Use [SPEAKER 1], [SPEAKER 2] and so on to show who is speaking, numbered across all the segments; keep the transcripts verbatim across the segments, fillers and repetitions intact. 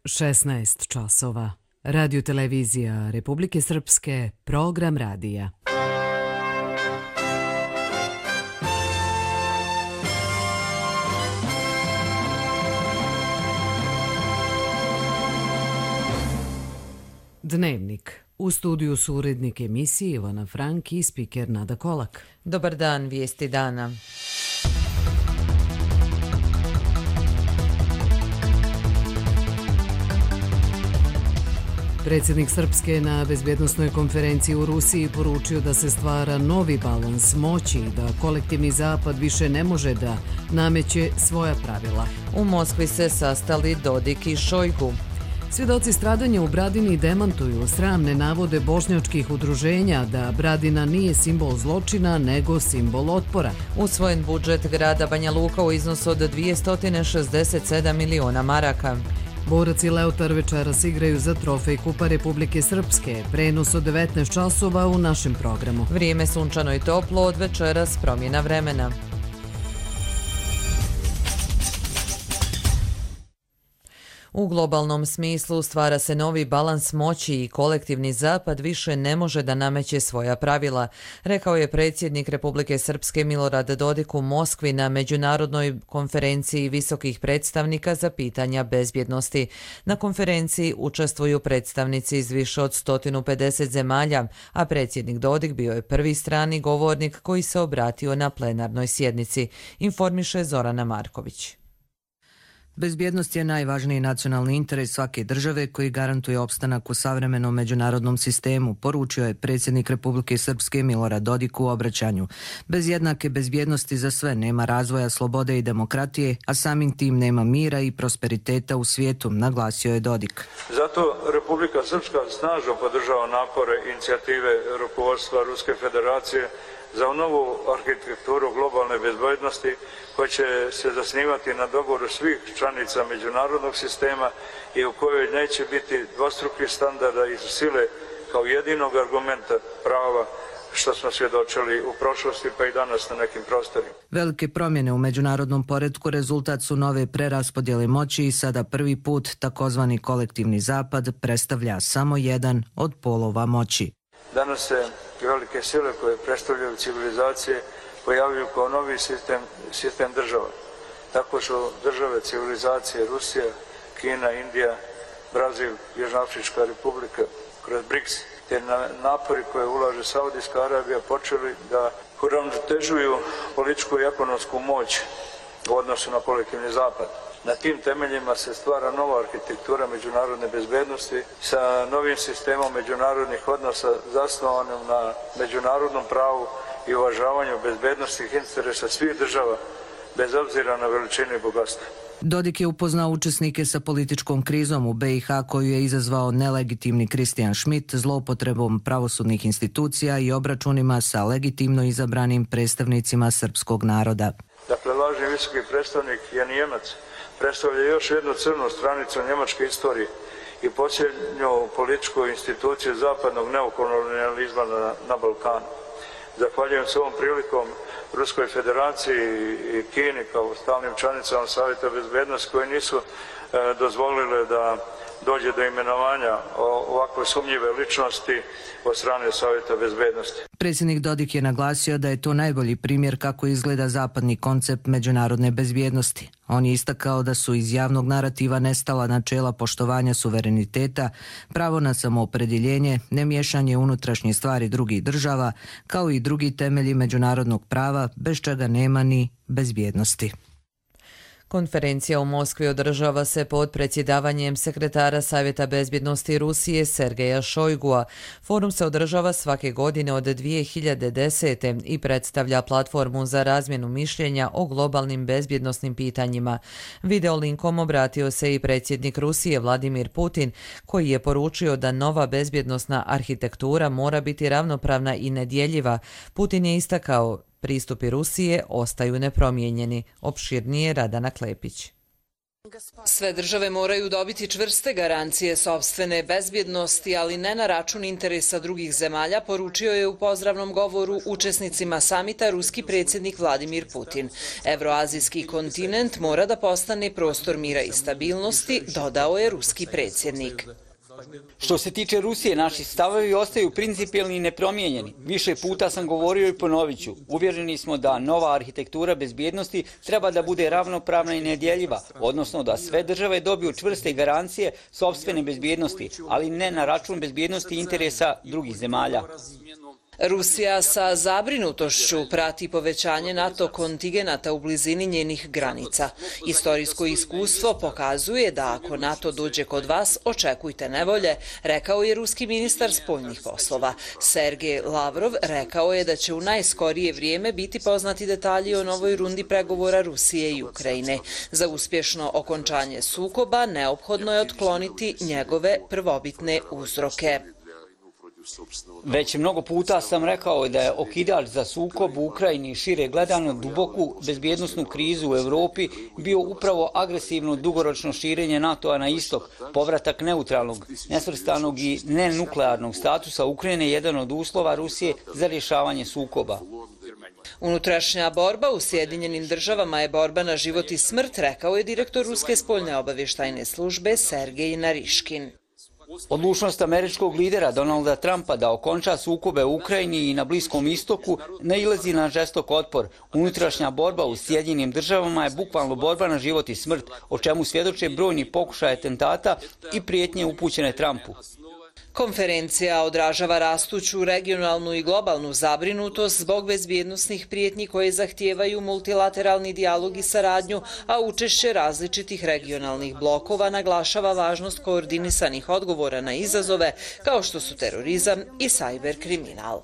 [SPEAKER 1] šesnaest časova. Radio televizija Republike Srpske, program radija. Dnevnik. U studiju su urednik emisije Ivana Frank i spiker Nada Kolak.
[SPEAKER 2] Dobar dan, vijesti dana.
[SPEAKER 1] Predsjednik Srpske na bezbjednosnoj konferenciji u Rusiji poručio da se stvara novi balans moći i da kolektivni zapad više ne može da nameće svoja pravila.
[SPEAKER 2] U Moskvi se sastali Dodik i Šojgu.
[SPEAKER 1] Svjedoci stradanja u Bradini demantuju sramne navode bošnjačkih udruženja da Bradina nije simbol zločina, nego simbol otpora.
[SPEAKER 2] Usvojen budžet grada Banja Luka u iznosu od dvjesto šezdeset sedam miliona maraka.
[SPEAKER 1] Borac i Leutar večeras igraju za trofej Kupa Republike Srpske. Prenos od devetnaest časova u našem programu.
[SPEAKER 2] Vrijeme sunčano i toplo, od večeras promjena vremena. U globalnom smislu stvara se novi balans moći i kolektivni zapad više ne može da nameće svoja pravila, rekao je predsjednik Republike Srpske Milorad Dodik u Moskvi na međunarodnoj konferenciji visokih predstavnika za pitanja bezbjednosti. Na konferenciji učestvuju predstavnici iz više od sto pedeset zemalja, a predsjednik Dodik bio je prvi strani govornik koji se obratio na plenarnoj sjednici, informiše Zorana Marković.
[SPEAKER 3] Bezbjednost je najvažniji nacionalni interes svake države koji garantuje opstanak u savremenom međunarodnom sistemu, poručio je predsjednik Republike Srpske Milorad Dodik u obraćanju. Bez jednake bezbjednosti za sve nema razvoja slobode i demokratije, a samim tim nema mira i prosperiteta u svijetu, naglasio je Dodik.
[SPEAKER 4] Zato Republika Srpska snažno podržava napore inicijative rukovodstva Ruske federacije za novu arhitekturu globalne bezbjednosti koja će se zasnivati na dogovoru svih članica međunarodnog sistema i u kojoj neće biti dvostrukih standarda i sile kao jedinog argumenta prava što smo svjedočili u prošlosti pa i danas na nekim prostorima.
[SPEAKER 3] Velike promjene u međunarodnom poretku rezultat su nove preraspodjele moći i sada prvi put takozvani kolektivni zapad predstavlja samo jedan od polova moći.
[SPEAKER 4] Danas se velike sile koje predstavljaju civilizacije pojavljuju kao novi sistem, sistem država. Tako su države civilizacije Rusija, Kina, Indija, Brazil, Južnoafrička republika kroz BRICS, te na napori koje ulaže Saudijska Arabija počeli da uravnotežuju političku i ekonomsku moć u odnosu na kolektivni zapad. Na tim temeljima se stvara nova arhitektura međunarodne bezbjednosti sa novim sistemom međunarodnih odnosa zasnovanim na međunarodnom pravu i uvažavanju bezbjednostnih interesa svih država, bez obzira na veličinu i bogatstvo.
[SPEAKER 3] Dodik je upoznao učesnike sa političkom krizom u be i ha koju je izazvao nelegitimni Kristijan Schmidt, zloupotrebom pravosudnih institucija i obračunima sa legitimno izabranim predstavnicima srpskog naroda.
[SPEAKER 4] Dakle, lažni visoki predstavnik je Nijemac, predstavlja još jednu crnu stranicu njemačke istorije i posljednju političku instituciju zapadnog neokolonijalizma na, na Balkanu. Zahvaljujem se ovom prilikom Ruskoj federaciji i Kini kao stalnim članicama Savjeta bezbjednosti koji nisu e, dozvolile da dođe do imenovanja ovakve sumnjive ličnosti od strane Savjeta bezbjednosti.
[SPEAKER 3] Predsjednik Dodik je naglasio da je to najbolji primjer kako izgleda zapadni koncept međunarodne bezbjednosti. On je istakao da su iz javnog narativa nestala načela poštovanja suvereniteta, pravo na samoopredjeljenje, nemiješanje unutrašnje stvari drugih država, kao i drugi temelji međunarodnog prava, bez čega nema ni bezbjednosti.
[SPEAKER 2] Konferencija u Moskvi održava se pod predsjedavanjem sekretara Savjeta bezbjednosti Rusije Sergeja Šojgua. Forum se održava svake godine od dvije hiljade desete. i predstavlja platformu za razmjenu mišljenja o globalnim bezbjednosnim pitanjima. Videolinkom obratio se i predsjednik Rusije Vladimir Putin, koji je poručio da nova bezbjednosna arhitektura mora biti ravnopravna i nedjeljiva. Putin je istakao: pristupi Rusije ostaju nepromijenjeni. Opširnije Radana Klepić.
[SPEAKER 5] Sve države moraju dobiti čvrste garancije sopstvene bezbjednosti, ali ne na račun interesa drugih zemalja, poručio je u pozdravnom govoru učesnicima samita ruski predsjednik Vladimir Putin. Evroazijski kontinent mora da postane prostor mira i stabilnosti, dodao je ruski predsjednik.
[SPEAKER 6] Što se tiče Rusije, naši stavovi ostaju principijelni i nepromijenjeni. Više puta sam govorio i ponovit ću. Uvjereni smo da nova arhitektura bezbjednosti treba da bude ravnopravna i nedjeljiva, odnosno da sve države dobiju čvrste garancije sopstvene bezbjednosti, ali ne na račun bezbjednosti interesa drugih zemalja.
[SPEAKER 5] Rusija sa zabrinutošću prati povećanje NATO kontingenata u blizini njenih granica. Istorijsko iskustvo pokazuje da ako NATO dođe kod vas, očekujte nevolje, rekao je ruski ministar spoljnih poslova. Sergej Lavrov rekao je da će u najskorije vrijeme biti poznati detalji o novoj rundi pregovora Rusije i Ukrajine. Za uspješno okončanje sukoba neophodno je otkloniti njegove prvobitne uzroke.
[SPEAKER 6] Već mnogo puta sam rekao da je okidač za sukob u Ukrajini šire gledano duboku bezbjednosnu krizu u Europi bio upravo agresivno dugoročno širenje NATO-a na istok, povratak neutralnog, nesvrstanog i nenuklearnog statusa Ukrajine jedan od uslova Rusije za rješavanje sukoba.
[SPEAKER 5] Unutrašnja borba u Sjedinjenim državama je borba na život i smrt, rekao je direktor Ruske spoljne obavještajne službe Sergej Nariškin.
[SPEAKER 6] Odlučnost američkog lidera Donalda Trumpa da okonča sukobe u Ukrajini i na Bliskom istoku nailazi na žestok otpor. Unutrašnja borba u Sjedinjenim državama je bukvalno borba na život i smrt, o čemu svjedoče brojni pokušaje atentata i prijetnje upućene Trumpu.
[SPEAKER 5] Konferencija odražava rastuću regionalnu i globalnu zabrinutost zbog bezbjednosnih prijetnji koje zahtijevaju multilateralni dijalog i saradnju, a učešće različitih regionalnih blokova naglašava važnost koordinisanih odgovora na izazove kao što su terorizam i sajber kriminal.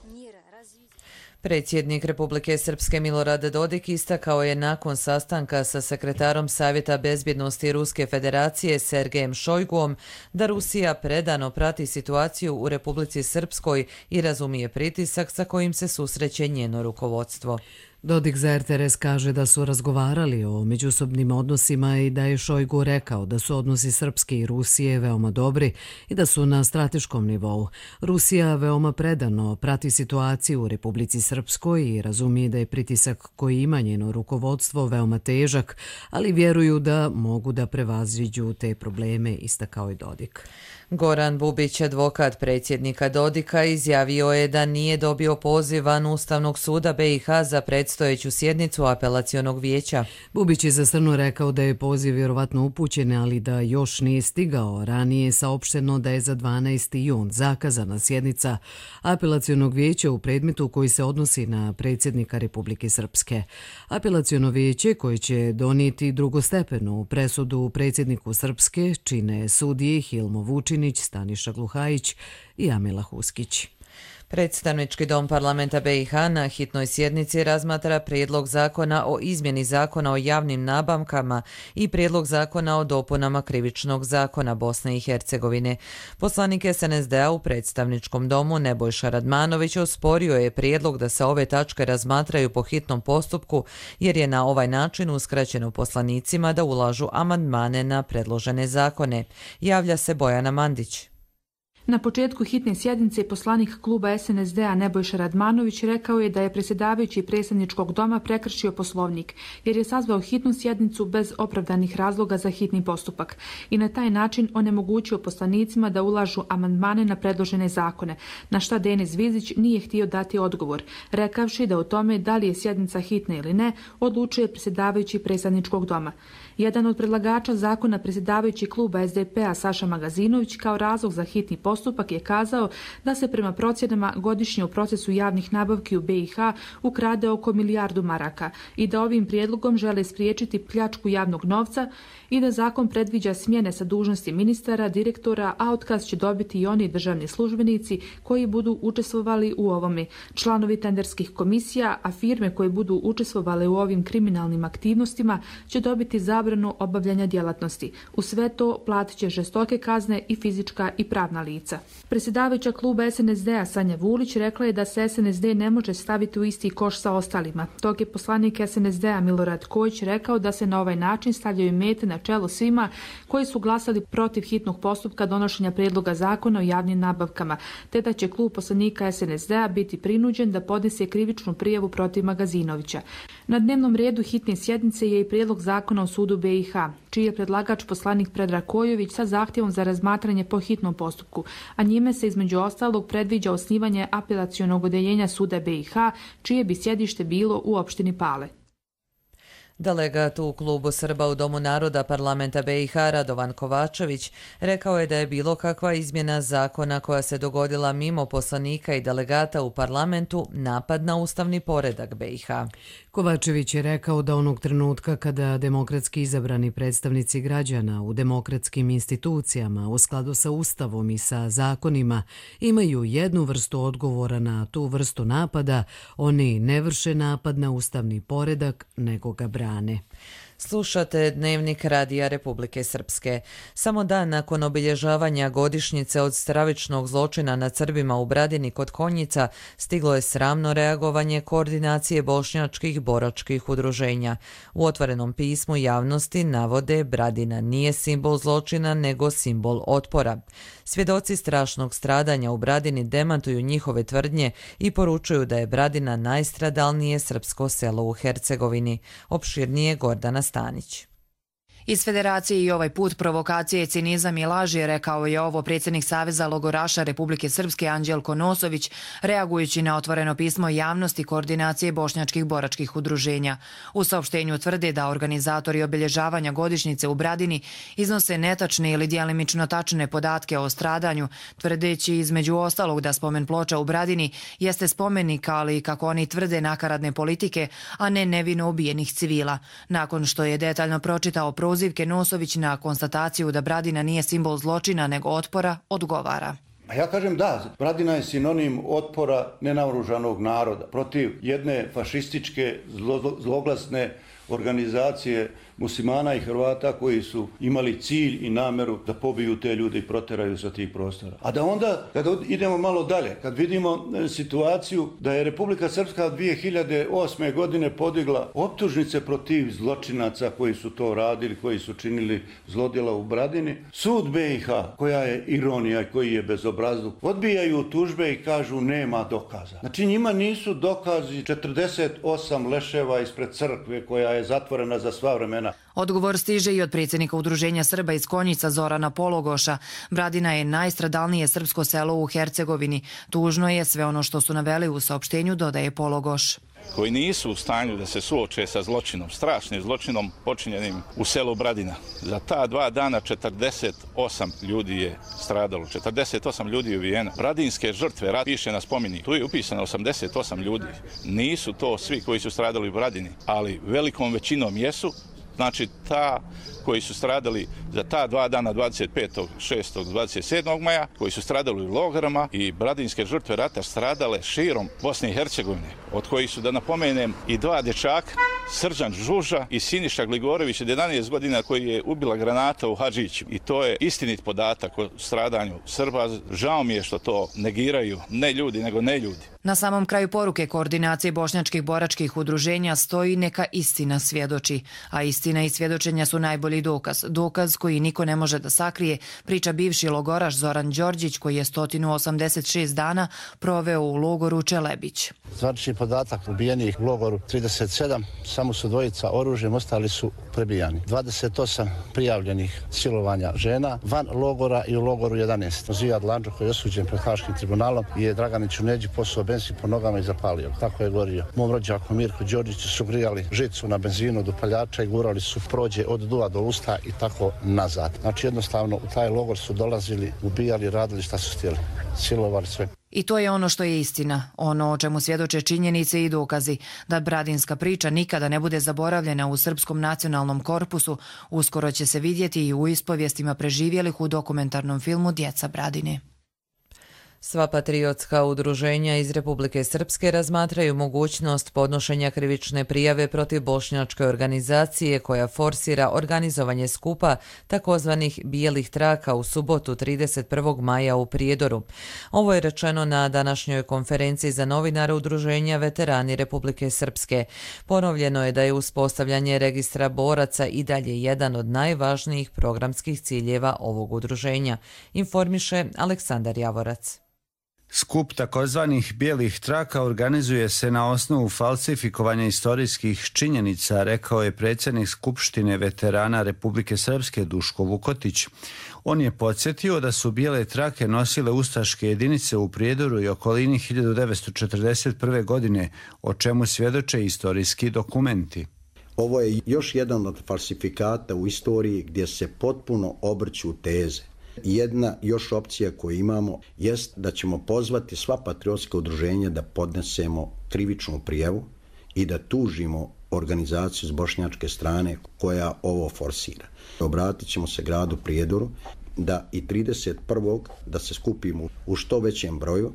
[SPEAKER 2] Predsjednik Republike Srpske Milorad Dodik istakao je nakon sastanka sa sekretarom Savjeta bezbjednosti Ruske federacije Sergejem Šojguom da Rusija predano prati situaciju u Republici Srpskoj i razumije pritisak sa kojim se susreće njeno rukovodstvo.
[SPEAKER 1] Dodik za er te er es kaže da su razgovarali o međusobnim odnosima i da je Šojgu rekao da su odnosi Srpske i Rusije veoma dobri i da su na strateškom nivou. Rusija veoma predano prati situaciju u Republici Srpskoj i razumije da je pritisak koji ima njeno rukovodstvo veoma težak, ali vjeruju da mogu da prevaziđu te probleme, istakao je Dodik.
[SPEAKER 2] Goran Bubić, advokat predsjednika Dodika, izjavio je da nije dobio poziv van Ustavnog suda be i ha za predstojeću sjednicu apelacionog vijeća.
[SPEAKER 1] Bubić je za Strnu rekao da je poziv vjerovatno upućen, ali da još nije stigao. Ranije je saopšteno da je za dvanaesti jun zakazana sjednica apelacionog vijeća u predmetu koji se odnosi na predsjednika Republike Srpske. Apelaciono vijeće koje će donijeti drugostepenu presudu predsjedniku Srpske čine sudije Hilmo Vučinić, Staniša Gluhajić i Amila Huskić.
[SPEAKER 2] Predstavnički dom parlamenta be i ha na hitnoj sjednici razmatra prijedlog zakona o izmjeni zakona o javnim nabavkama i prijedlog zakona o dopunama krivičnog zakona Bosne i Hercegovine. Poslanik es en es de a u predstavničkom domu Nebojša Radmanović osporio je prijedlog da se ove tačke razmatraju po hitnom postupku jer je na ovaj način uskraćeno poslanicima da ulažu amandmane na predložene zakone. Javlja se Bojana Mandić.
[SPEAKER 7] Na početku hitne sjednice poslanik kluba es en es de a Nebojša Radmanović rekao je da je predsjedavajući predstavničkog doma prekršio Poslovnik jer je sazvao hitnu sjednicu bez opravdanih razloga za hitni postupak i na taj način onemogućio poslanicima da ulažu amandmane na predložene zakone, na šta Denis Vizić nije htio dati odgovor, rekavši da o tome da li je sjednica hitna ili ne odlučuje predsjedavajući predstavničkog doma. Jedan od predlagača zakona, predsjedavajući kluba es de pe a Saša Magazinović, kao razlog za hitni postupak je kazao da se prema procjenama godišnje u procesu javnih nabavki u be i ha ukrade oko milijardu maraka i da ovim prijedlogom žele spriječiti pljačku javnog novca i da zakon predviđa smjene sa dužnosti ministara, direktora, a otkaz će dobiti i oni državni službenici koji budu učestvovali u ovome, članovi tenderskih komisija, a firme koje budu učestvovale u ovim kriminalnim aktivnostima će dobiti zabranu obavljanja djelatnosti. U sve to platit će žestoke kazne i fizička i pravna lica. lica. Predsjedavajuća kluba S N S D-a Sanja Vulić rekla je da se S N S D ne može staviti u isti koš sa ostalima. Dok je poslanik S N S D-a Milorad Kojić rekao da se na ovaj način stavljaju mete na čelo svima koji su glasali protiv hitnog postupka donošenja prijedloga zakona o javnim nabavkama, te da će klub poslanika S N S D-a biti prinuđen da podnese krivičnu prijavu protiv Magazinovića. Na dnevnom redu hitne sjednice je i prijedlog zakona o sudu B i H, čiji je predlagač poslanik Predrag Kojović sa zahtjevom za razmatranje po hitnom postupku, a njime se između ostalog predviđa osnivanje apelacionog odeljenja suda B i H, čije bi sjedište bilo u opštini Pale.
[SPEAKER 2] Delegat u klubu Srba u Domu naroda parlamenta B i H Radovan Kovačević rekao je da je bilo kakva izmjena zakona koja se dogodila mimo poslanika i delegata u parlamentu napad na ustavni poredak B i H.
[SPEAKER 1] Kovačević je rekao da onog trenutka kada demokratski izabrani predstavnici građana u demokratskim institucijama u skladu sa ustavom i sa zakonima imaju jednu vrstu odgovora na tu vrstu napada, oni ne vrše napad na ustavni poredak, nego ga brane.
[SPEAKER 2] Slušate Dnevnik Radija Republike Srpske. Samo dan nakon obilježavanja godišnjice od stravičnog zločina nad Srbima u Bradini kod Konjica stiglo je sramno reagovanje koordinacije bošnjačkih boračkih udruženja. U otvorenom pismu javnosti navode Bradina nije simbol zločina nego simbol otpora. Svjedoci strašnog stradanja u Bradini demantuju njihove tvrdnje i poručuju da je Bradina najstradalnije srpsko selo u Hercegovini. Opširnije Gordana Stanić.
[SPEAKER 8] Iz Federacije i ovaj put provokacije, cinizam i laži, rekao je ovo predsjednik Saveza logoraša Republike Srpske Anđelko Nosović, reagujući na otvoreno pismo javnosti koordinacije bošnjačkih boračkih udruženja. U saopštenju tvrde da organizatori obilježavanja godišnjice u Bradini iznose netačne ili djelimično tačne podatke o stradanju, tvrdeći između ostalog da spomen ploča u Bradini jeste spomenik, ali kako oni tvrde nakaradne politike, a ne nevino ubijenih civila. Nakon što je detaljno pročitao prozivke, Nosović na konstataciju da Bradina nije simbol zločina nego otpora odgovara.
[SPEAKER 9] A ja kažem da, Bradina je sinonim otpora nenaoružanog naroda protiv jedne fašističke zlo, zloglasne organizacije muslimana i Hrvata koji su imali cilj i nameru da pobiju te ljude i proteraju sa tih prostora. A da onda, kada idemo malo dalje, kad vidimo situaciju da je Republika Srpska dvije hiljade osme godine podigla optužnice protiv zločinaca koji su to radili, koji su činili zlodjela u Bradini, sud B i H, koja je ironija i koji je bezobrazluk, odbijaju tužbe i kažu nema dokaza. Znači njima nisu dokazi četrdeset osam leševa ispred crkve koja je zatvorena za sva vremena.
[SPEAKER 8] Odgovor stiže i od predsjednika Udruženja Srba iz Konjica Zorana Pologoša. Bradina je najstradalnije srpsko selo u Hercegovini. Tužno je sve ono što su naveli u saopštenju, dodaje Pologoš.
[SPEAKER 10] Koji nisu u stanju da se suoče sa zločinom, strašnim zločinom počinjenim u selu Bradina. Za ta dva dana četrdeset osam ljudi je stradalo, četrdeset osam ljudi je ubijeno. Bradinske žrtve, rat piše na spomeni, tu je upisano osamdeset osam ljudi. Nisu to svi koji su stradali u Bradini, ali velikom većinom jesu. Znači, ta koji su stradali za ta dva dana, dvadeset petog šestog dvadeset sedmog maja, koji su stradali u logorama i bradinske žrtve rata stradale širom Bosne i Hercegovine, od kojih su, da napomenem, i dva dječaka, Srđan Žuža i Siniša Gligorović, jedanaest godina, koji je ubila granata u Hadžiću. I to je istinit podatak o stradanju Srba. Žao mi je što to negiraju ne ljudi, nego ne ljudi.
[SPEAKER 8] Na samom kraju poruke koordinacije bošnjačkih boračkih udruženja stoji neka istina svjedoči, a istina i svjedočenja su najbolji dokaz. Dokaz koji niko ne može da sakrije, priča bivši logoraš Zoran Đorđić, koji je sto osamdeset šest dana proveo u logoru Čelebić.
[SPEAKER 11] Zvanični podatak ubijenih u logoru trideset sedam, samo su dvojica oružjem, ostali su prebijani. dvadeset osam prijavljenih silovanja žena van logora i u logoru jedanaest. Zijad Landžo, koji je osuđen pred Haškim tribunalom, je Draganiću Neđi posuo benzin po nogama i zapalio. Tako je gorio. Mom rođaku Mirku Đorđiću su grijali žicu na benzinu do paljača i gurali su prođe od duva do usta i tako nazad. Znači jednostavno u taj logor su dolazili, ubijali, radili šta su htjeli. Silovali sve.
[SPEAKER 8] I to je ono što je istina, ono o čemu svjedoče činjenice i dokazi. Da bradinska priča nikada ne bude zaboravljena u Srpskom nacionalnom korpusu, uskoro će se vidjeti i u ispovijestima preživjelih u dokumentarnom filmu Djeca Bradine.
[SPEAKER 2] Sva patriotska udruženja iz Republike Srpske razmatraju mogućnost podnošenja krivične prijave protiv bošnjačke organizacije koja forsira organizovanje skupa takozvanih bijelih traka u subotu trideset prvog maja u Prijedoru. Ovo je rečeno na današnjoj konferenciji za novinare udruženja Veterani Republike Srpske. Ponovljeno je da je uspostavljanje registra boraca i dalje jedan od najvažnijih programskih ciljeva ovog udruženja, informiše Aleksandar Javorac.
[SPEAKER 12] Skup takozvanih bijelih traka organizuje se na osnovu falsifikovanja istorijskih činjenica, rekao je predsjednik Skupštine veterana Republike Srpske Duško Vukotić. On je podsjetio da su bijele trake nosile ustaške jedinice u Prijedoru i okolini hiljadu devetsto četrdeset prve. godine, o čemu svjedoče istorijski dokumenti.
[SPEAKER 13] Ovo je još jedan od falsifikata u istoriji gdje se potpuno obrću teze. Jedna još opcija koju imamo jest da ćemo pozvati sva patriotska udruženja da podnesemo krivičnu prijavu i da tužimo organizaciju s bošnjačke strane koja ovo forsira. Obratit ćemo se gradu Prijedoru da i trideset prvog da se skupimo u što većem broju,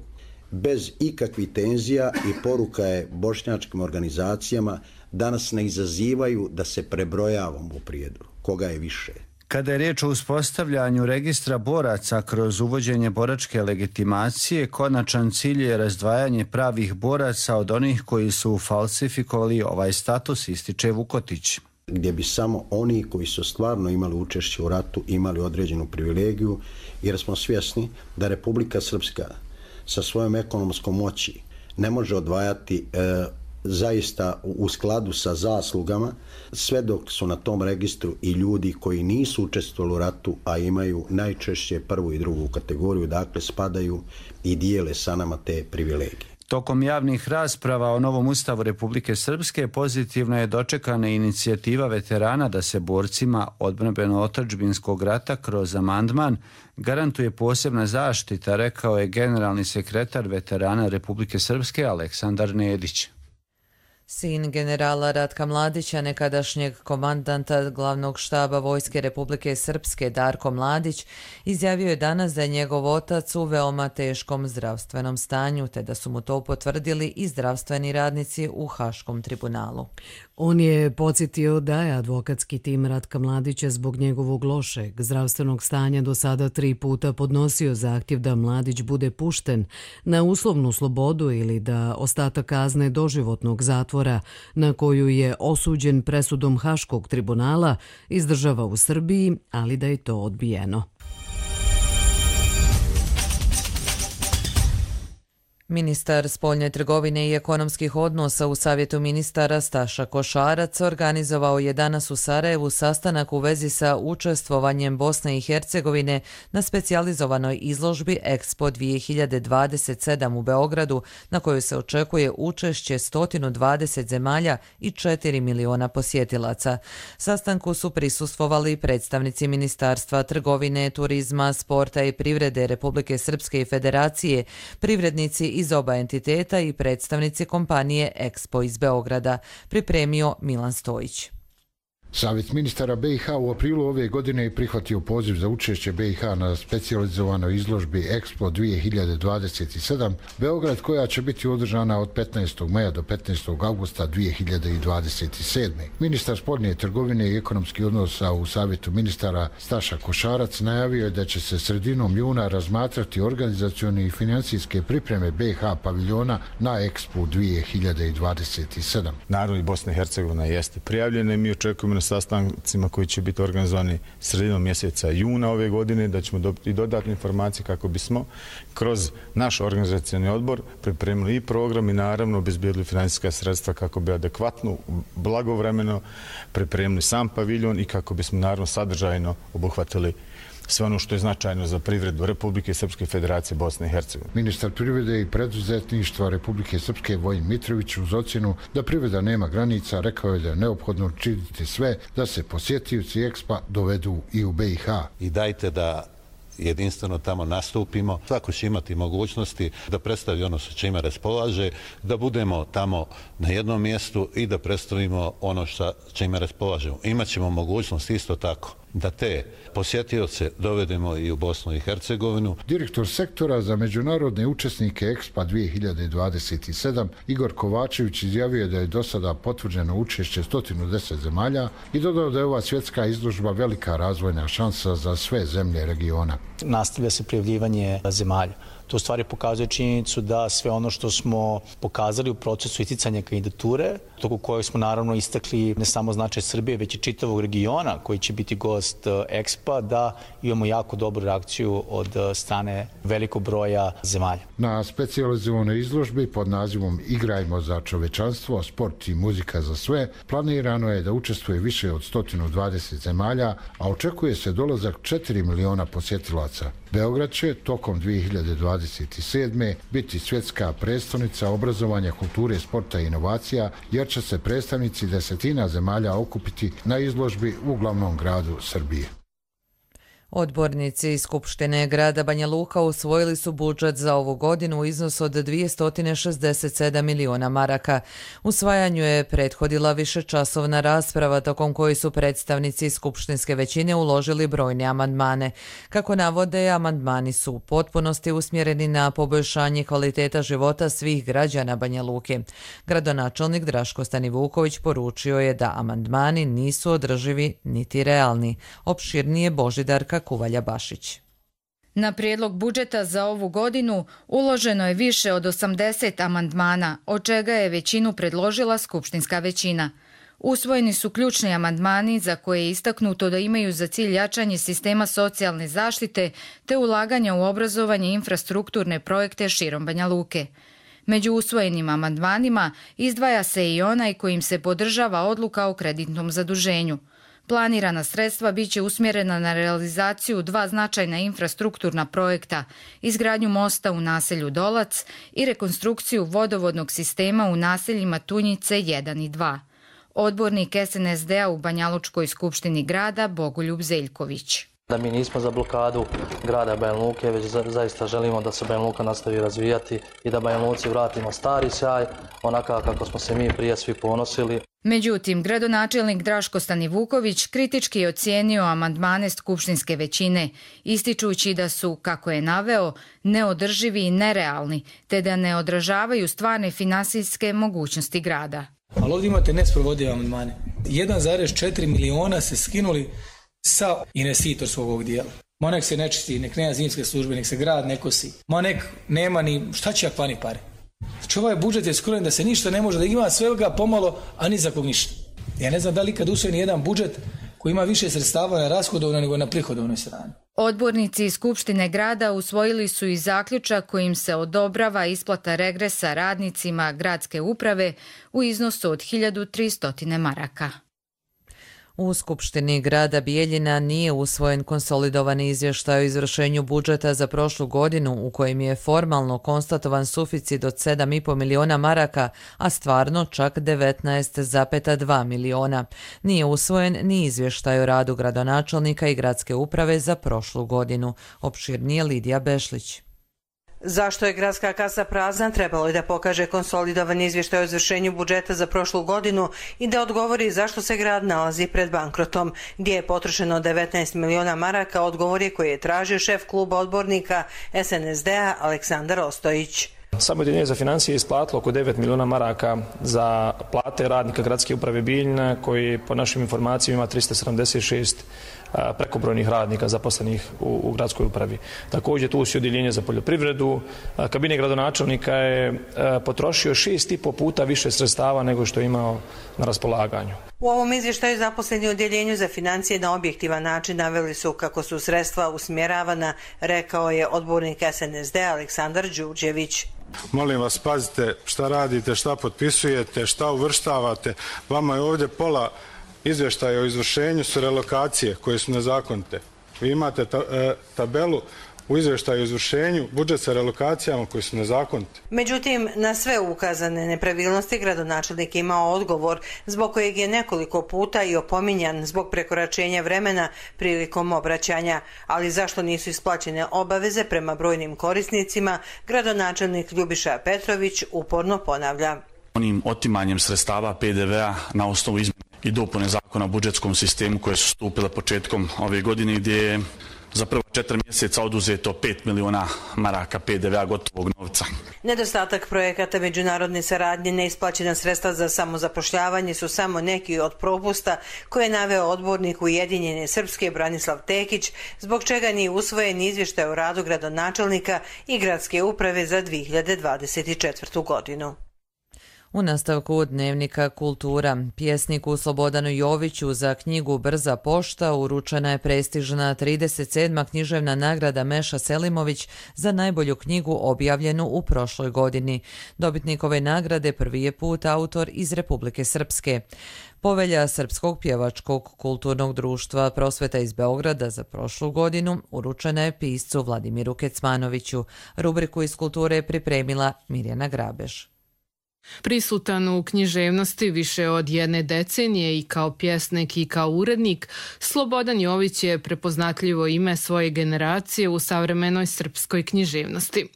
[SPEAKER 13] bez ikakvih tenzija, i poruka je bošnjačkim organizacijama da nas ne izazivaju da se prebrojavamo u Prijedoru, koga je više.
[SPEAKER 12] Kada je riječ o uspostavljanju registra boraca kroz uvođenje boračke legitimacije, konačan cilj je razdvajanje pravih boraca od onih koji su falsifikovali ovaj status, ističe Vukotić.
[SPEAKER 13] Gdje bi samo oni koji su stvarno imali učešće u ratu imali određenu privilegiju, jer smo svjesni da Republika Srpska sa svojom ekonomskom moći ne može odvajati e, zaista u skladu sa zaslugama, sve dok su na tom registru i ljudi koji nisu učestvovali u ratu, a imaju najčešće prvu i drugu kategoriju, dakle spadaju i dijele sa nama te privilegije.
[SPEAKER 12] Tokom javnih rasprava o novom ustavu Republike Srpske pozitivno je dočekana inicijativa veterana da se borcima odbrambeno-otadžbinskog rata kroz amandman garantuje posebna zaštita, rekao je generalni sekretar veterana Republike Srpske Aleksandar Nedić.
[SPEAKER 2] Sin generala Ratka Mladića, nekadašnjeg komandanta glavnog štaba Vojske Republike Srpske Darko Mladić, izjavio je danas da je njegov otac u veoma teškom zdravstvenom stanju, te da su mu to potvrdili i zdravstveni radnici u Haškom tribunalu.
[SPEAKER 1] On je podsjetio da je advokatski tim Ratka Mladića zbog njegovog lošeg zdravstvenog stanja do sada tri puta podnosio zahtjev da Mladić bude pušten na uslovnu slobodu ili da ostatak kazne doživotnog zatvora na koju je osuđen presudom Haškog tribunala izdržava u Srbiji, ali da je to odbijeno.
[SPEAKER 2] Ministar spoljne trgovine i ekonomskih odnosa u Savjetu ministara Staša Košarac organizovao je danas u Sarajevu sastanak u vezi sa učestvovanjem Bosne i Hercegovine na specijalizovanoj izložbi Expo dvije hiljade dvadeset sedam u Beogradu, na kojoj se očekuje učešće sto dvadeset zemalja i četiri miliona posjetilaca. Sastanku su prisustvovali predstavnici Ministarstva trgovine, turizma, sporta i privrede Republike Srpske i Federacije, privrednici iz oba entiteta i predstavnici kompanije Expo iz Beograda, pripremio Milan Stojić.
[SPEAKER 14] Savjet ministara B i H u aprilu ove godine je prihvatio poziv za učešće B i H na specijalizovanoj izložbi Expo dvije hiljade dvadeset sedam Beograd, koja će biti održana od petnaestog maja do petnaestog avgusta dvije hiljade dvadeset sedme. Ministar spoljne trgovine i ekonomskih odnosa u Savjetu ministara Staša Košarac najavio je da će se sredinom juna razmatrati organizacioni i financijske pripreme B i H paviljona na Expo dvije hiljade dvadeset sedam.
[SPEAKER 15] Naravno i Bosna i Hercegovina jeste prijavljena i mi očekujemo na sastancima koji će biti organizovani sredinom mjeseca juna ove godine, da ćemo dobiti dodatne informacije kako bismo kroz naš organizacioni odbor pripremili i program i naravno obezbijedili financijska sredstva kako bi adekvatno, blagovremeno pripremili sam paviljon i kako bismo naravno sadržajno obuhvatili sve ono što je značajno za privredu Republike Srpske Federacije Bosne i Hercegovine.
[SPEAKER 14] Ministar privrede i preduzetništva Republike Srpske Vojin Mitrović uz ocjenu da privreda nema granica rekao je da je neophodno učiniti sve da se posjetioci Expa dovedu i u B i H.
[SPEAKER 16] I dajte da jedinstveno tamo nastupimo. Svako će imati mogućnosti da predstavi ono sa čime raspolaže, da budemo tamo na jednom mjestu i da predstavimo ono sa čime raspolažemo. Imaćemo mogućnost isto tako da te posjetioce dovedemo i u Bosnu i Hercegovinu.
[SPEAKER 14] Direktor sektora za međunarodne učesnike Expo dvije hiljade dvadeset sedam Igor Kovačević izjavio da je do sada potvrđeno učešće sto deset zemalja i dodao da je ova svjetska izložba velika razvojna šansa za sve zemlje regiona.
[SPEAKER 17] Nastavlja se prijavljivanje zemalja. To u stvari pokazuje činjenicu da sve ono što smo pokazali u procesu isticanja kandidature, toku kojeg smo naravno istakli ne samo značaj Srbije, već i čitavog regiona koji će biti gost Expo, da imamo jako dobru reakciju od strane velikog broja zemalja.
[SPEAKER 14] Na specijalizovanoj izložbi pod nazivom Igrajmo za čovečanstvo, sport i muzika za sve planirano je da učestvuje više od sto dvadeset zemalja, a očekuje se dolazak četiri miliona posjetilaca. Beograd će tokom dvije hiljade dvadeset sedme biti svjetska predstavnica obrazovanja, kulture, sporta i inovacija, jer će se predstavnici desetina zemalja okupiti na izložbi u glavnom gradu Srbije.
[SPEAKER 2] Odbornici iz Skupštine grada Banja Luka usvojili su budžet za ovu godinu u iznosu od dvjesto šezdeset sedam miliona maraka. Usvajanju je prethodila višečasovna rasprava tokom koje su predstavnici skupštinske većine uložili brojne amandmane. Kako navode, amandmani su u potpunosti usmjereni na poboljšanje kvaliteta života svih građana Banja Luke. Gradonačelnik Draško Stanivuković poručio je da amandmani nisu održivi niti realni. Opširnije Božidarka Kuvalja Bašić.
[SPEAKER 18] Na prijedlog budžeta za ovu godinu uloženo je više od osamdeset amandmana, od čega je većinu predložila skupštinska većina. Usvojeni su ključni amandmani za koje je istaknuto da imaju za cilj jačanje sistema socijalne zaštite te ulaganja u obrazovanje i infrastrukturne projekte širom Banja Luke. Među usvojenim amandmanima izdvaja se i onaj kojim se podržava odluka o kreditnom zaduženju. Planirana sredstva biće usmjerena na realizaciju dva značajna infrastrukturna projekta, izgradnju mosta u naselju Dolac i rekonstrukciju vodovodnog sistema u naseljima Tunjice jedan i dva. Odbornik es en es de a u Banjalučkoj skupštini grada Bogoljub Zeljković.
[SPEAKER 19] Da mi nismo za blokadu grada Banja Luke, već zaista želimo da se Banja Luka nastavi razvijati i da Banja Luci vratimo stari sjaj, onaka kako smo se mi prije svi ponosili.
[SPEAKER 18] Međutim, gradonačelnik Draško Stanivuković kritički je ocijenio amandmane skupštinske većine, ističući da su, kako je naveo, neodrživi i nerealni, te da ne odražavaju stvarne finansijske mogućnosti grada.
[SPEAKER 20] Ali ovdje imate nesprovodive amandmane. jedan zarez četiri miliona se skinuli sa investitorskog ovog dijela. Ma nek se nečisti, nek nema zimske službe, nek se grad ne kosi. Ma nek nema ni, šta će jak vani pare? Znači ovaj budžet je skrojen da se ništa ne može, da ima svega pomalo, a ni za kog ništa. Ja ne znam da li kad usvojeni jedan budžet koji ima više sredstava na rashodovnoj nego na prihodovnoj strani.
[SPEAKER 18] Odbornici iz Skupštine grada usvojili su i zaključak kojim se odobrava isplata regresa radnicima gradske uprave u iznosu od hiljadu tristo maraka.
[SPEAKER 2] U Skupštini grada Bijeljina nije usvojen konsolidovani izvještaj o izvršenju budžeta za prošlu godinu u kojem je formalno konstatovan suficit od sedam i pol miliona maraka, a stvarno čak devetnaest zarez dva miliona. Nije usvojen ni izvještaj o radu gradonačelnika i gradske uprave za prošlu godinu. Opširnije Lidija Bešlić.
[SPEAKER 21] Zašto je gradska kasa prazna, trebalo je da pokaže konsolidovan izvještaj o izvršenju budžeta za prošlu godinu i da odgovori zašto se grad nalazi pred bankrotom. Gdje je potrošeno devetnaest miliona maraka, odgovor je koji je tražio šef kluba odbornika es en es de a Aleksandar Ostojić.
[SPEAKER 22] Samo Udruženje za financije je isplatilo oko devet miliona maraka za plate radnika gradske uprave Bijeljina, koji po našim informacijama ima trista sedamdeset šest prekobrojnih radnika zaposlenih u, u gradskoj upravi. Također tu su odjeljenje za poljoprivredu. Kabinet gradonačelnika je potrošio šest i po puta više sredstava nego što je imao na raspolaganju.
[SPEAKER 21] U ovom izvještaju zaposleni u odjeljenju za financije na objektivan način naveli su kako su sredstva usmjeravana, rekao je odbornik es en es de a Aleksandar Đurđević.
[SPEAKER 23] Molim vas, pazite šta radite, šta potpisujete, šta uvrštavate. Vama je ovdje pola izvještaja o izvršenju su relokacije koje su nezakonite. Vi imate ta, e, tabelu u izvještaju o izvršenju, budžet sa relokacijama koji su nezakonite.
[SPEAKER 21] Međutim, na sve ukazane nepravilnosti gradonačelnik imao odgovor, zbog kojeg je nekoliko puta i opominjan zbog prekoračenja vremena prilikom obraćanja. Ali zašto nisu isplaćene obaveze prema brojnim korisnicima, gradonačelnik Ljubiša Petrović uporno ponavlja.
[SPEAKER 24] Onim otimanjem sredstava pe de ve a na osnovu izmjene
[SPEAKER 3] i dopune zakona o budžetskom sistemu koje su stupile početkom ove godine, gdje je za prva četiri mjeseca oduzeto pet miliona maraka P D V-a gotovog novca.
[SPEAKER 21] Nedostatak projekata međunarodne saradnje, neisplaćena sredstva za samozapošljavanje su samo neki od propusta koje je naveo odbornik Ujedinjene Srpske Branislav Tekić, zbog čega nije usvojen izvještaj o radu gradonačelnika i gradske uprave za dvije hiljade dvadeset četvrtu. godinu.
[SPEAKER 2] U nastavku Dnevnika Kultura, pjesniku Slobodanu Joviću za knjigu Brza pošta uručena je prestižna trideset sedma književna nagrada Meša Selimović za najbolju knjigu objavljenu u prošloj godini. Dobitnik ove nagrade prvi je put autor iz Republike Srpske. Povelja Srpskog pjevačkog kulturnog društva Prosveta iz Beograda za prošlu godinu uručena je piscu Vladimiru Kecmanoviću. Rubriku iz kulture je pripremila Mirjana Grabež.
[SPEAKER 4] Prisutan u književnosti više od jedne decenije i kao pjesnik i kao urednik, Slobodan Jović je prepoznatljivo ime svoje generacije u savremenoj srpskoj književnosti.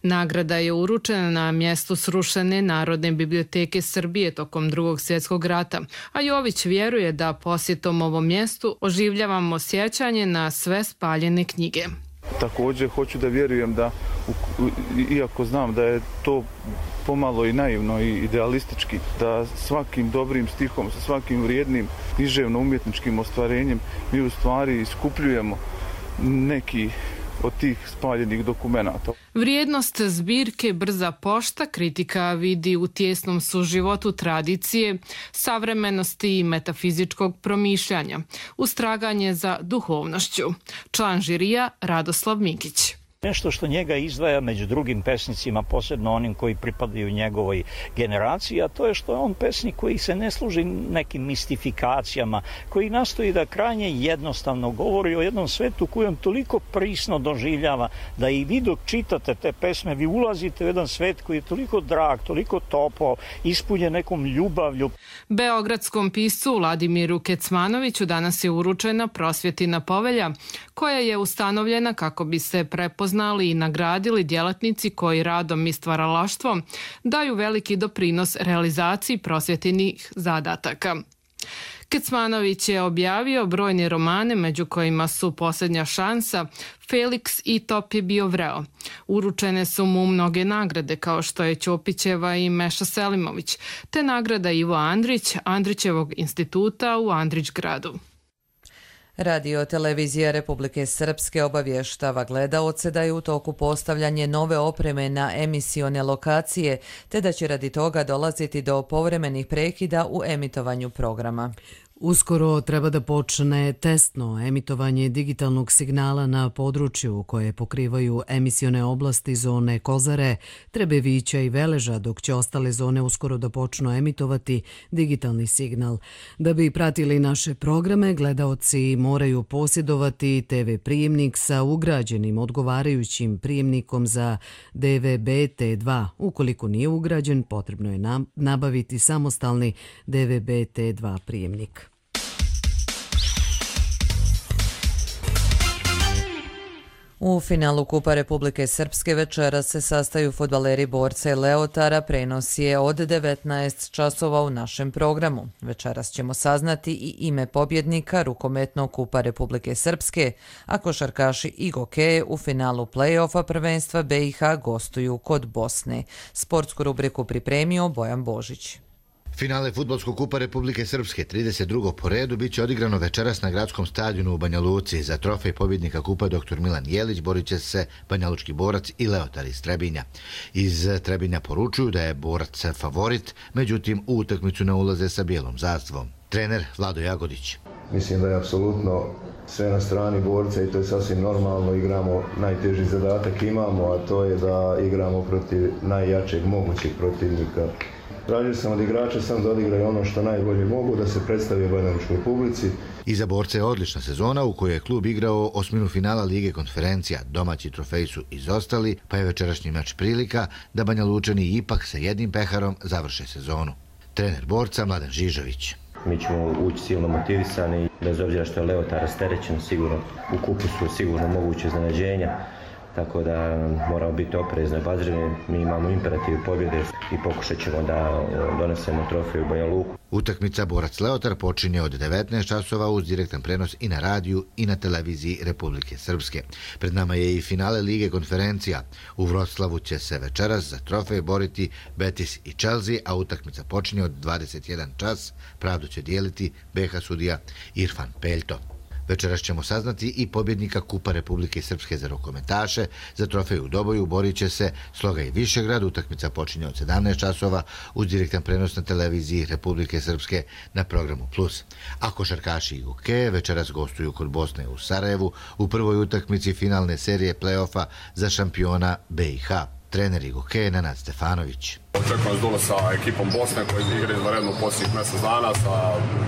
[SPEAKER 4] Nagrada je uručena na mjestu srušene Narodne biblioteke Srbije tokom Drugog svjetskog rata, a Jović vjeruje da posjetom ovom mjestu oživljavamo sjećanje na sve spaljene knjige.
[SPEAKER 6] Također hoću da vjerujem da, iako znam da je to pomalo i naivno i idealistički, da svakim dobrim stihom, sa svakim vrijednim književno-umjetničkim ostvarenjem mi u stvari iskupljujemo neki od tih spaljenih dokumenata.
[SPEAKER 4] Vrijednost zbirke Brza pošta kritika vidi u tijesnom suživotu tradicije, savremenosti i metafizičkog promišljanja, ustraganje za duhovnošću. Član žirija Radoslav Mikić.
[SPEAKER 24] Nešto što njega izdvaja među drugim pesnicima, posebno onim koji pripadaju njegovoj generaciji, a to je što je on pesnik koji se ne služi nekim mistifikacijama, koji nastoji da krajnje jednostavno govori o jednom svetu koji on toliko prisno doživljava, da i vi dok čitate te pesme, vi ulazite u jedan svet koji je toliko drag, toliko topao, ispunjen nekom ljubavlju.
[SPEAKER 4] Beogradskom piscu Vladimiru Kecmanoviću danas je uručena Prosvjetina povelja, koja je ustanovljena kako bi se prepoznali znali i nagradili djelatnici koji radom i stvaralaštvom daju veliki doprinos realizaciji prosvjetinih zadataka. Kecmanović je objavio brojne romane, među kojima su Posljednja šansa, Felix i Top je bio vreo. Uručene su mu mnoge nagrade, kao što je Ćopićeva i Meša Selimović, te nagrada Ivo Andrić, Andrićevog instituta u Andrićgradu.
[SPEAKER 2] Radio televizija Republike Srpske obavještava gledaoce da je u toku postavljanje nove opreme na emisione lokacije, te da će radi toga dolaziti do povremenih prekida u emitovanju programa.
[SPEAKER 1] Uskoro treba da počne testno emitovanje digitalnog signala na području koje pokrivaju emisione oblasti zone Kozare, Trebevića i Veleža, dok će ostale zone uskoro da počnu emitovati digitalni signal. Da bi pratili naše programe, gledaoci moraju posjedovati te ve prijemnik sa ugrađenim odgovarajućim prijemnikom za de ve be te dva. Ukoliko nije ugrađen, potrebno je nabaviti samostalni de ve be te dva prijemnik.
[SPEAKER 2] U finalu Kupa Republike Srpske večeras se sastaju fudbaleri Borca i Leotara, prenos je od devetnaest časova u našem programu. Večeras ćemo saznati i ime pobjednika rukometnog Kupa Republike Srpske, a košarkaši i gokeje u finalu play-offa prvenstva be i ha gostuju kod Bosne. Sportsku rubriku pripremio Bojan Božić.
[SPEAKER 25] Finale Fudbalskog kupa Republike Srpske trideset drugog po redu biće odigrano večeras na gradskom stadionu u Banja Luci. Za trofej pobjednika kupa doktor Milan Jelić borit će se Banjalučki borac i Leotar iz Trebinja. Iz Trebinja poručuju da je borac favorit, međutim u utakmicu ne ulaze sa bijelom zastavom. Trener Vlado Jagodić.
[SPEAKER 26] Mislim da je apsolutno sve na strani borca i to je sasvim normalno. Igramo, najteži zadatak imamo, a to je da igramo protiv najjačeg mogućeg protivnika. Tražio sam od igrača sam da odigraju ono što najbolje mogu, da se predstavi banjalučkoj publici.
[SPEAKER 25] Iza borca je odlična sezona u kojoj je klub igrao osminu finala Lige konferencija. Domaći trofeji su izostali, pa je večerašnji meč prilika da Banjalučani ipak sa jednim peharom završe sezonu. Trener borca Mladen Žižović.
[SPEAKER 27] Mi ćemo ući silno motivisani, bez obzira što je Leotar rasterećen, sigurno u kupu su sigurno moguće iznenađenja.
[SPEAKER 5] tako da moramo biti oprezni, obazrivi. Mi imamo imperativ pobjede i pokušat ćemo da donesemo trofej u Banja Luku.
[SPEAKER 25] Utakmica Borac Leotar počinje od devetnaest časova uz direktan prenos i na radiju i na televiziji Republike Srpske. Pred nama je i finale Lige konferencija. U Vroclavu će se večeras za trofej boriti Betis i Chelsea, a utakmica počinje od dvadeset jedan čas. Pravdu će dijeliti be ha sudija Irfan Peljto. Večeras ćemo saznati i pobjednika Kupa Republike Srpske za rukometaše. Za trofej u Doboju borit će se Sloga i Višegrad. Utakmica počinje od sedamnaest časova uz direktan prenos na televiziji Republike Srpske na programu Plus. A košarkaši i hokeje večeras gostuju kod Bosne u Sarajevu u prvoj utakmici finalne serije play-offa za šampiona be i ha. Trener i hokeje Nenad Stefanović.
[SPEAKER 7] Očekujem dole sa ekipom Bosne koji igra izvanredno u posljednjih mjesec dana. Sa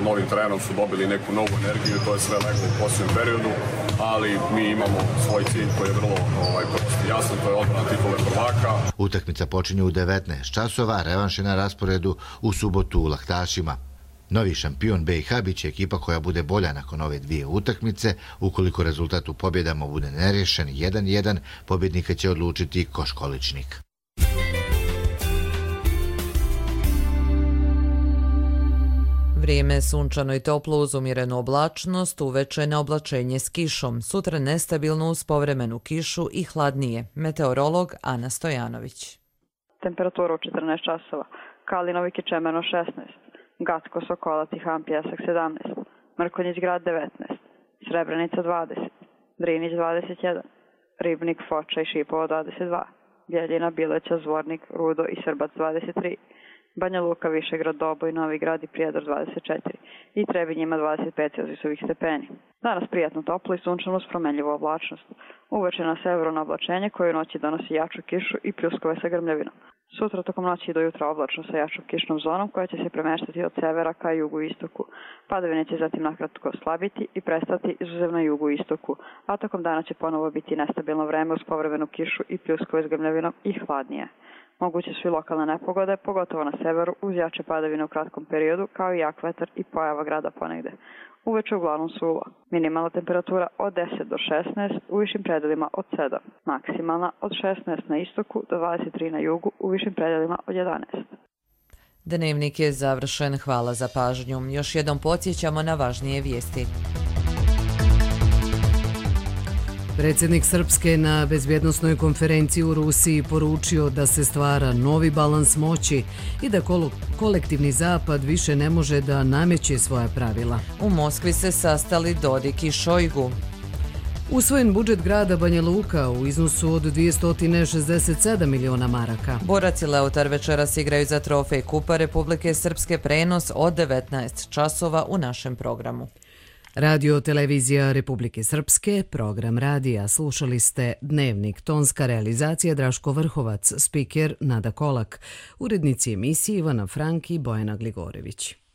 [SPEAKER 7] novim trenerom su dobili neku novu energiju, to je sve leglo u posljednjem periodu, ali mi imamo svoj cilj koji je vrlo ovaj, prosti jasan, to je odbrana titule prvaka.
[SPEAKER 25] Utakmica počinje u devetnaest časova, revanš je na rasporedu u subotu u Lahtašima. Novi šampion be i ha bit će ekipa koja bude bolja nakon ove dvije utakmice. Ukoliko rezultat u pobjedama bude nerješen jedan jedan, pobjednika će odlučiti Koškoličnik.
[SPEAKER 2] Vrijeme je sunčano i toplo uz umjerenu oblačnost, uveče na oblačenje s kišom, sutra nestabilno uz povremenu kišu i hladnije. Meteorolog Ana Stojanović.
[SPEAKER 8] Temperatura u četrnaest časova, Kalinovik i Čemerno šesnaest. Gacko, Sokolac i Han Pjesak sedamnaest, Mrkonjić Grad devetnaest, Srebrenica dvadeset, Drinić dvadeset jedan, Ribnik, Foča i Šipovo dvadeset dva, Bjeljina, Bileća, Zvornik, Rudo i Srbac dvadeset tri, Banja Luka, Višegrad, Doboj, Novi Grad i Prijedor dvadeset četiri i Trebinj ima dvadeset pet celzijusovih stepeni. Danas prijatno toplo i sunčano uz promenljivu oblačnost. Uveče na severu na oblačenje koje u noći donosi jaču kišu i pljuskove sa grmljavinom. Sutra tokom noći i do jutra oblačno sa jačom kišnom zonom koja će se premeštati od severa ka jugu i istoku. Padavine će zatim nakratko slabiti i prestati izuzev na jugu i istoku, a tokom dana će ponovo biti nestabilno vreme uz povremenu kišu i pljuskove s grmljavinom i hladnije. Moguće su i lokalne nepogode, pogotovo na severu, uz jače padavine u kratkom periodu, kao i jak vetar i pojava grada ponegde. Uveče uglavnom suvo. Minimalna temperatura od deset do šesnaest, u višim predelima od sedam. Maksimalna od šesnaest na istoku do dvadeset tri na jugu, u višim predelima od jedanaest.
[SPEAKER 2] Dnevnik je završen. Hvala za pažnju. Još jednom podsjećamo na važnije vijesti.
[SPEAKER 1] Predsjednik Srpske na bezbjednosnoj konferenciji u Rusiji poručio da se stvara novi balans moći i da kolektivni zapad više ne može da nameće svoja pravila.
[SPEAKER 2] U Moskvi se sastali Dodik i Šojgu.
[SPEAKER 1] Usvojen budžet grada Banja Luka u iznosu od dvjesto šezdeset sedam miliona maraka.
[SPEAKER 2] Borac i Leotar večeras igraju za trofej Kupa Republike Srpske, prenos od devetnaest časova u našem programu.
[SPEAKER 1] Radio Televizija Republike Srpske, program radija. Slušali ste Dnevnik, tonska realizacija Draško Vrhovac, spiker Nada Kolak, urednici emisije Ivana Frank i Bojana Gligorević.